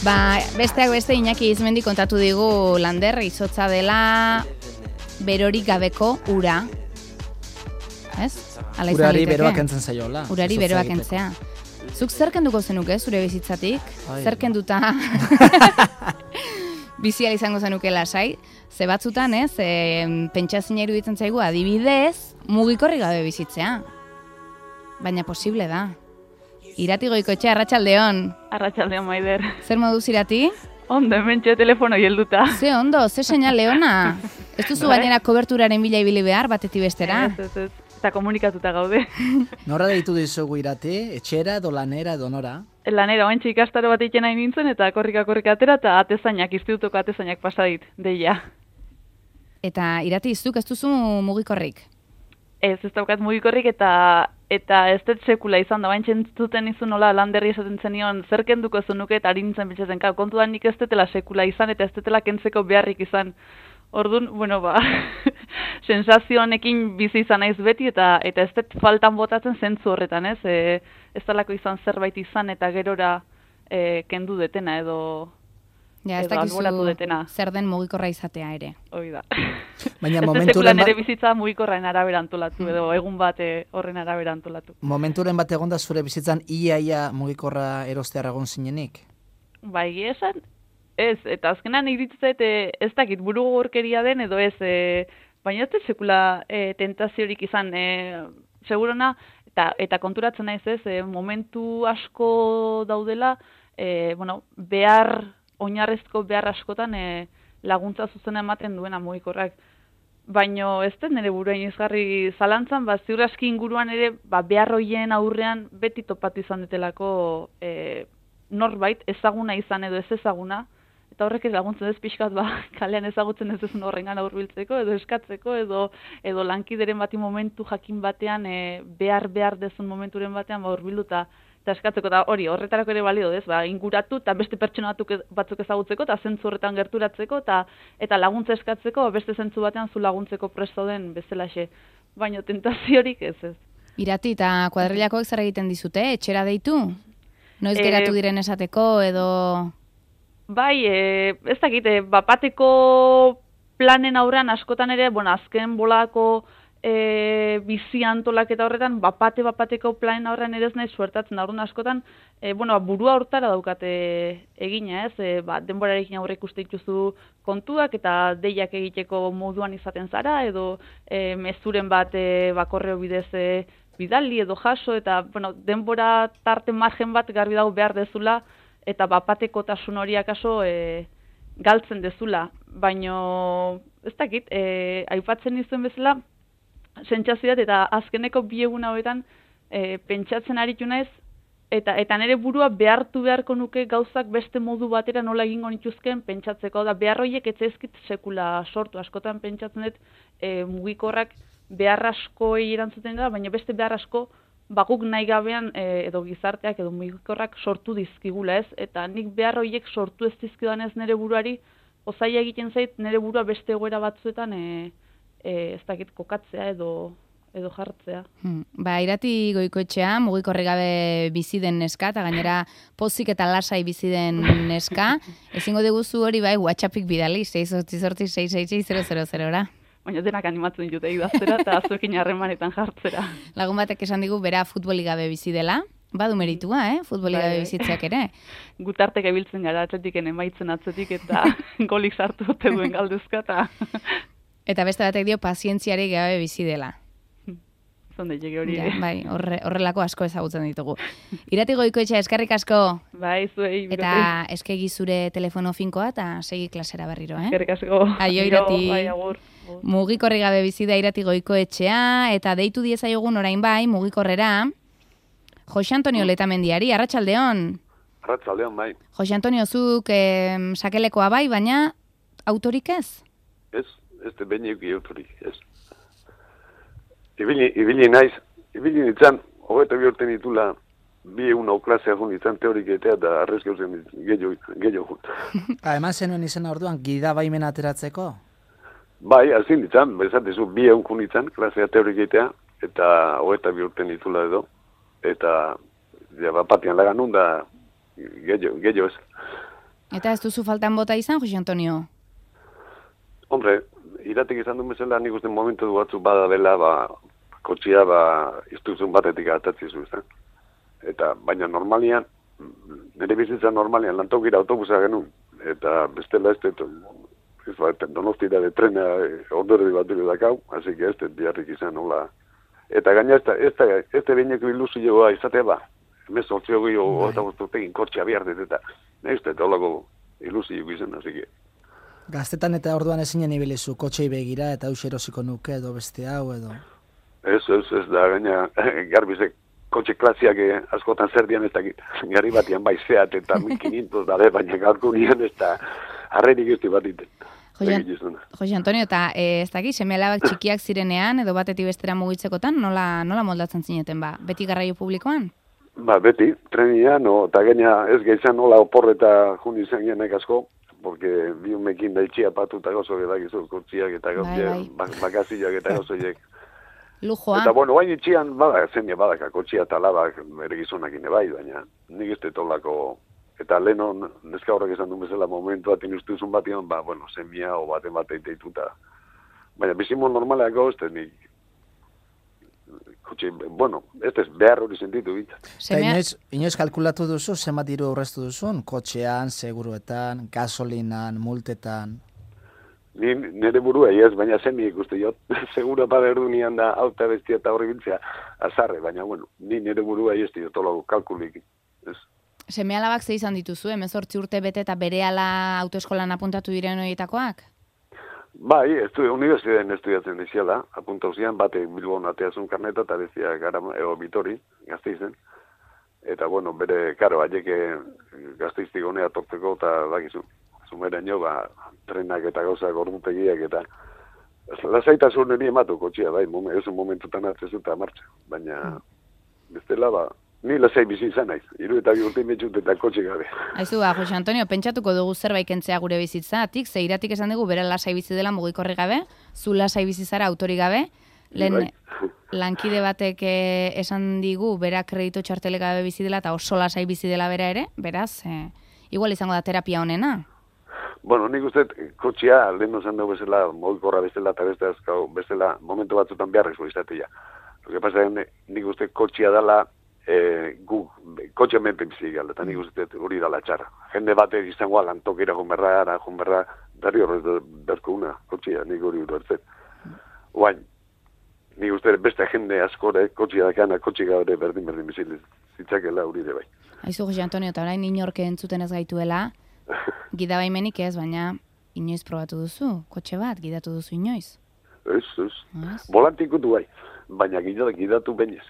Besteak beste Iñaki Izmendi kontatu digu Lander izotza dela berorik gabeko ura. Ez? Urari beroak entzen zaiola. Urari beroak entzea. Zuk zer kenduko zenuke zure bizitzatik? Zer kenduta bizial izango zenuke lasai? Ze batzutan, ez? Pentsazina iruditzen zaigu adibidez mugikorri gabe bizitzea. Baina posible da. Irati Goikoetxea, arratsaldeon. Arratsaldeon, Maider. Zer moduz Irati? Ondo, hementxe telefono helduta. Ze ondo, ze seinal leona. Ez duzu gainera koberturaren bila ibili behar batetik bestera. Ez. Eta komunikatuta gaude. Nora deitu dizugu Irati? Etxera edo lanera edo nora? Lanera, oantxe ikastaro bat egiten nahi nintzen, eta korrika atera, eta atezainak, institutoko atezainak pasadit, deia. Eta Irati, zuk ez duzu mugikorrik? Ez daukat mugikorrik, eta ez dut sekula izan da, baintxe entzuten izu nola Landerri esaten zenion, zer kenduko zunuke eta ari nintzen pentsatzen, kontu da nik ez dutela sekula izan, eta ez dutela kentzeko beharrik izan. Orduan, sensazio honekin bizi izan naiz beti, eta ez dut faltan botatzen zentzu horretan, ez? Ez talako izan zerbait izan, eta gerora kendu detena, edo alboratu detena. Zer den mugikorra izatea ere. Hoi da. Baina momenturen ere bizitza mugikorraen arabera antolatu, edo egun bat horren arabera antolatu. Momenturen bat egon da zure bizitzan ia mugikorra erostear egon zinenik? Bai, esan, ez, eta azkenan iritzet ez dakit buru gorkeria den, edo ez, baina ez sekula tentaziorik izan, segurona, eta konturatzen naiz ez, momentu asko daudela, oinarrezko behar askotan laguntza zuzena ematen duena mugikorrak. Baina ez dut nire buruain izgarri zalantzan, ziur aski inguruan ere behar hoien aurrean beti topatu izan detelako norbait ezaguna izan edo ez ezaguna, eta horrek ez laguntzen ez pixkat kalean ezagutzen ez ezun horrengan aurbiltzeko, edo eskatzeko, edo lankideren bati momentu jakin batean, behar dezun momenturen batean aurbildu eta eskatzeko, eta horretarako ere balio dez, inguratu eta beste pertsona batzuk ezagutzeko, eta zentzu horretan gerturatzeko, eta laguntza eskatzeko, beste zentzu batean zu laguntzeko presto den bezalaxe. Baina tentaziorik ez. Irati, eta kuadrilakoek zer egiten dizute, etxera deitu? Noiz geratu diren esateko, edo... Bai, ez dakit, bapateko planen aurrean askotan ere, azken bolako bizi antolaketa horretan, bapateko planen aurrean ere ez nahi suertatzen da, orduan askotan, burua hortara daukate egina, ez? Denborarekin aurre ikuste dituzu kontuak eta deiak egiteko moduan izaten zara, edo mezuren bat korreo bidez bidali edo jaso, eta denbora tarte margen bat garbi dago behar dezula, eta bapatekotasun horiak aso galtzen dezula. Baina, ez dakit, aipatzen izuen bezala, sentsazioa eta azkeneko 2 egun hauetan pentsatzen aritu naiz, eta nire burua beharko nuke gauzak beste modu batera nola egingo nituzken pentsatzeko. Behar horiek ez ezkit sekula sortu, askotan pentsatzen dut mugikorrak behar asko erantzuten da, baina beste behar asko guk nahi gabean edo gizarteak edo mugikorrak sortu dizkigula, ez? Eta nik behar horiek sortu ez dizkidan ez nire buruari, osaia egiten zait nire burua beste egoera batzuetan ez dakit kokatzea edo jartzea. Irati Goikoetxea, mugikorri gabe bizi den neska, eta gainera pozik eta lasai bizi den neska, ezingo diguzu hori WhatsAppik bidali, 688-666-000-ra. Baina denak animatzen dute idaztera eta zuekin harremanetan jartzera. Lagun batek esan digu bera futboli gabe bizi dela, badu meritua, futboli gabe bizitzeak ere. Gutartek ebiltzen gara atletiken emaitzen atzetik eta golik sartu dute duen galduzka eta... Eta beste batek dio pazientziari gabe bizi dela. Zonde jege hori. Bai, horrelako asko ezagutzen ditugu. Irati Goikoetxea, eskerrik asko. Bai, zuei. Eta eskegi zure telefono finkoa eta segi klasera berriro, Eskerrik asko. Aio, Irati. Bai, agur. Mugikorri gabe bizi da Irati Goikoetxea, eta deitu diezaiogun orain bai, mugikorrera, Jose Antonio Letamendiari, arratsaldeon. Arratsaldeon, bai. Jose Antonio, zuk sakelekoa bai, baina autorik ez? Ez behinik autorik, ez. Ibili naiz, ibili nintzen, 22 urte nitula, 2 egun hau klasea jun nintzen teoriketea, eta arrezke uzen gehiago jut. Eman zenuen izena orduan, gida baimen ateratzeko? Bai, azin nintzen, bezatezu 2 egun jun nintzen, klasea teoriketea, eta 22 urte nitula edo, eta bapatian lagan nun da gehiago ez. Eta ez duzu faltan bota izan, Jose Antonio? Hombre, iratik izan duen bezala, nik uste momentu batzuk bada dela, kotxia, iztuzun batetik atatzizu, izan. Eta, baina normalian, nire bizitza normalian, lantokira autobusa genuen, eta bestela Donostira de trena ondorri bat dure dakau, así que biharrik izan nola. Eta gaina ez beineko ilusioa izatea ba, emez ortzio gehiago eta guztutegin kortxea behar dut, eta ez da holako ilusio izan, así que. Gaztetan eta orduan ezinen ibilizu, kotxei begira eta eus erosiko nuke edo beste hau edo. Ez da gaina garbizek kotxe klasiak askotan zer dian ez dakit. Garri batian bai zeat eta 1500 dade, baina gaurko nian ez da harrerik ez bat iten. Jose Antonio, eta ez dakit, seme-alabak txikiak zirenean edo batetik bestera mugitzekotan, nola moldatzen zineten ba? Beti garraio publikoan? Beti, trenian, eta gaina ez gehizan nola oporreta jun izan genek asko, porque bi umekin da itxia patu eta gozo edakizu, kortziak eta bakaziak eta gozoiek. Lujoa. Eta bueno, bain itxian, zenia badaka, kotxia eta labak ere gizonakin bai, baina nik ez tetolako. Eta leheno, neska horrek esan duen bezala momentu bat inustuzun batian, semia o baten bat eiteituta. Baina bizimo normaleako, nik, kotxe, ez behar hori sentitu bit. Inoiz kalkulatu duzu, zenbat diru aurreztu duzun? Kotxean, seguruetan, gasolinan, multetan? Nire burua, ez, baina zemi ikuste jot. Segura bada erdunian da, auta bestia eta horri biltzea, azarre, baina, ni nire burua ez diotolo kalkulik, ez. Seme-alabak ze izan dituzu, 18 urte bete eta berehala autoeskolan apuntatu diren horietakoak? Bai, unibertsitatean estudiatzen diziala, apuntau zian, bate Bilbon ateazun karneta, eta bezia Bitori, Gasteizen. Eta, bere, karo, aieke Gasteiztik honea torteko, eta dakizu, zumera nio, trenak eta gauzak ordutegiak, eta lasaitasun niri ematu kotxia, bai, ez un momentutan atzezuta martxa, baina, bestela, ni lasai bizi izan naiz, 3 urte metxut eta kotxe gabe. Aizu, Jose Antonio, pentsatuko dugu zerbait kentzea gure bizitzatik, ze iratik esan dugu bera lasai bizi dela mugikorri gabe, zu lasai bizi zara autori gabe, lehen lankide batek esan digu bera kredito txartele gabe bizi dela eta oso lasai bizi dela bera ere, beraz, igual izango da terapia honena. Nik uste kotxea, lehen esan dugu bezala, mugikorra bezala eta bestela momentu batzutan beharrezko izatea. Lo que pasa nik uste kotxea dela kotxe menpen bizi gala, eta nik uste hori dala txarra. Jende batek izango lantokera junberra, darri horrez berko una kotxea, nik hori urartzen. Oain, nik uste beste jende askore, kotxea dakana, kotxe gabe berdin bizile, zitzakela hori de bai. Aizu, Jose Antonio, eta orain inorke entzuten ez gaituela, gidabaimenik ez, baina inoiz probatu duzu, kotxe bat, gidatu duzu inoiz. Ez. Volantikutu bai, baina gidatu bainez.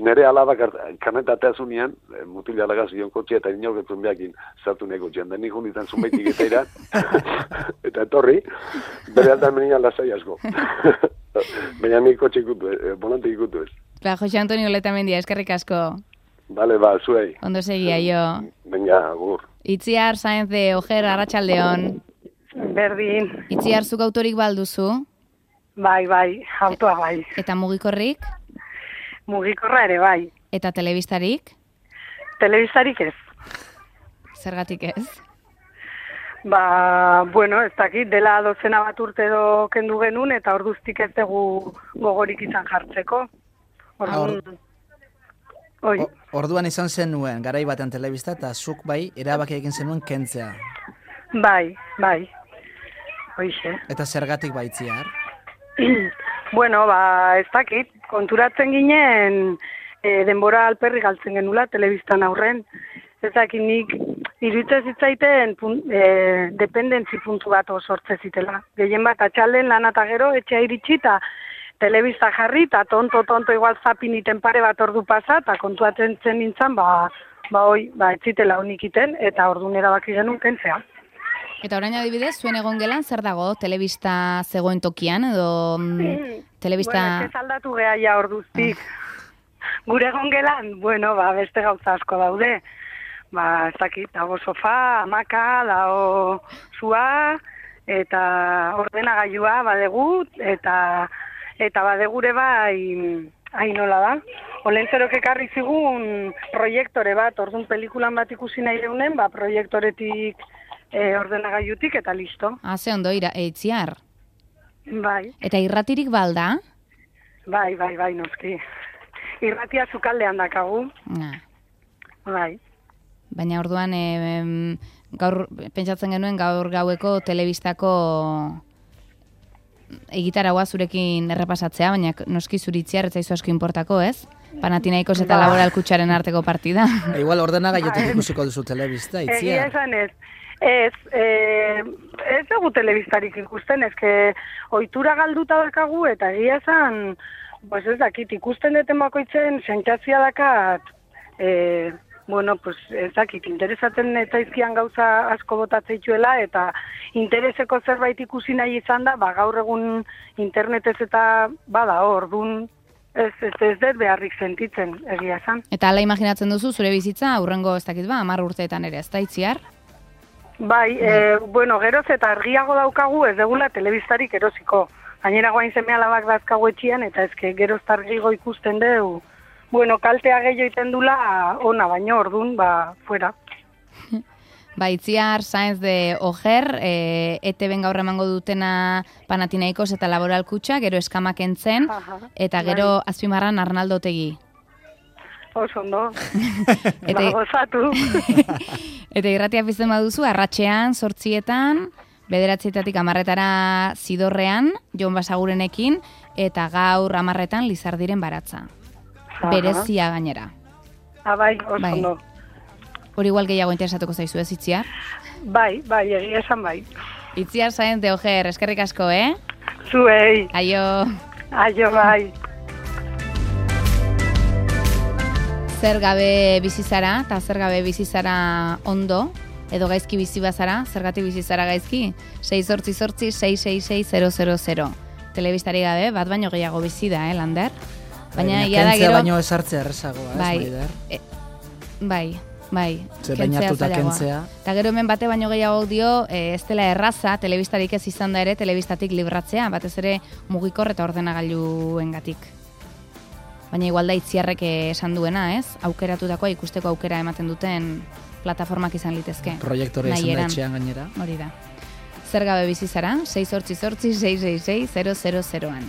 Nere alabak kanetatea zunean, mutila lagazion kotxea eta inorketzen behakin zartu nego txean, da nik honitan zumaitik eta iran, eta etorri, bere altan menian lasai asko. Baina nik kotxe ikutu, volantik ikutu ez. Jose Antonio Letamendia, eskerrik asko. Bale, zuei. Ondo segia, jo. Venga, agur. Itziar Saenz de Ojer, Arratsaldeon. Berdin. Itziar, zuk autorik balduzu? Bai, autoa bai. Eta mugikorrik? Mugikorra ere bai. Eta telebistarik? Telebistarik ez. Zergatik ez? Ez dakit, dela 12 bat urte edo kendu genuen, eta orduztik ez dugu gogorik izan jartzeko. Orduan izan zenuen, garai batean telebista, eta zuk bai, erabaki egin zenuen kentzea. Bai. Hoixe. Eta zergatik baitziar? Ez dakit, konturatzen ginen denbora alperri galtzen genula telebistan aurren. Ez dakit nik iruditzen zitzaiten dependentzi puntu bat sortze zitela. Gehien bat atxalden lan eta gero etxea iritsi eta telebista jarri eta tonto igual zapiniten pare bat ordu pasa eta kontuatzen zen nintzen ez zitela honik iten eta orduan erabaki genuen kentzea. Eta orain adibidez, zuen egon gelan, zer dago? Telebista zegoen tokian, edo telebista... Ez aldatu geha ja orduztik. Gure egon gelan, beste gauza asko daude. Ez dakit, dago sofa, hamaka, dago zua, eta ordenagailua badegu, eta badegure bai, nola da, Olentzerok ekarri zigun proiektore bat, orduan pelikulan bat ikusi nahi deunen, proiektoretik ordenagailutik eta listo. Ze ondo, Itziar. Bai. Eta irratirik balda? Bai, noski. Irratia Sukaldean dakagu. Bai. Baina orduan, gaur, pentsatzen genuen gaur gaueko telebistako egitaragoa zurekin errepasatzea, baina noski zuri Itziar ez zaizu asko inportako, ez? Panathinaikos eta Laboral Kutxaren arteko partida. Igual ordenagailutik ikusiko duzu telebista, Itziar. Egia esan ez. Ez dugu telebistarik ikusten, ezke ohitura galduta dakagu eta egia esan, pues ez dakit, ikusten deten bakoitzen sentsazioa dakat, ez dakit, interesatzen zaizkian gauza asko botatzeituela eta intereseko zerbait ikusi nahi izan da, gaur egun internetez eta bada orduan ez dut beharrik sentitzen, egia esan. Eta hala imaginatzen duzu zure bizitza, aurrengo ez dakit 10 urteetan ere, ez da Itziar? Bai, geroz eta argiago daukagu ez degula telebistarik erosiko. Gainera guain seme-alabak dazkagu etxian, eta ezke geroz argigo ikusten dugu. Kaltea gehiago iten dula ona, baino orduan, fuera. Itziar Sáenz de Ojer, ETB gaur emango dutena Panathinaikos eta Laboral Kutxa, gero Eskamak entzen, eta gero azpimarran Arnaldo Otegi. Oso ondo, gozatu. Eta irratia pizten baduzu, arratsean, 8etan, 9:00 10:00 Zidorrean, Jon Basagurenekin, eta gaur 10:00 Lizardiren baratza. Berezia gainera. Bai, oso ondo. Hori igual gehiago interesatuko zaizu ez, Itziar? Bai, egia esan bai. Itziar Sáenz de Ojer, eskerrik asko, Zuei. Aio. Aio, bai. Zer gabe bizizara, eta zer gabe bizizara ondo, edo gaizki bizi bazara, zergatik bizi zara gaizki, 688-666-000. Telebistari gabe, bat baino gehiago bizi da, Lander? Baina ia da gero... baino esartzea errezagoa, Maider? Bai. Ze bainatuta kentzea. Eta gero hemen bate baino gehiago dio, ez dela erraza, telebistarik ez izan da ere, telebistatik libratzea, batez ere mugikor eta ordenagailuengatik. Baina igual da Itziarrek esan duena, ez? Aukeratutakoa ikusteko aukera ematen duten plataformak izan litezke. Proiektore izan da etxean gainera. Hori da. Zer gabe bizi zara? 688-666-000an.